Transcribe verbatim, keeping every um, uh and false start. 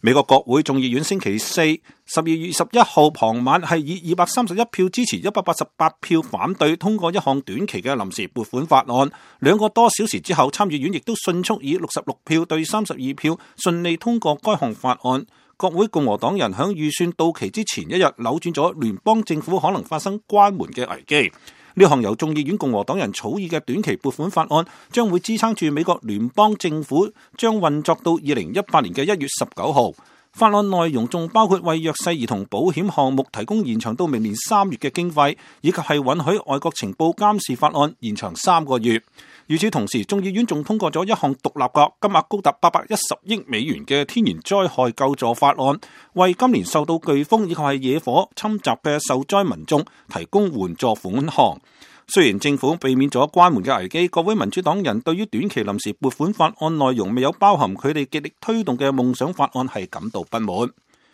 美國國會眾議院星期四十二月十一號傍晚係以二百三十一票支持、一百八十八票反對通過一項短期嘅臨時撥款法案。兩個多小時之後，參議院亦都迅速以六十六票對三十二票順利通過該項法案。國會共和黨人響預算到期之前一日扭轉咗聯邦政府可能發生關門嘅危機。呢項由眾議院共和黨人草擬嘅短期撥款法案，將會支撐住美國聯邦政府將運作到二零一八年嘅一月十九號。法案內容仲包括為弱勢兒童保險項目提供延長到明年三月嘅經費，以及係允許外國情報監視法案延長三個月。與此同時，眾議院仲通過咗一項獨立嘅金額高達八百一十億美元嘅天然災害救助法案，為今年受到颶風以及係野火侵襲嘅受災民眾提供援助款項。雖然政府避免咗關門嘅危機，各位民主黨人對於短期臨時撥款法案內容未有包含佢哋極力推動嘅夢想法案係感到不滿。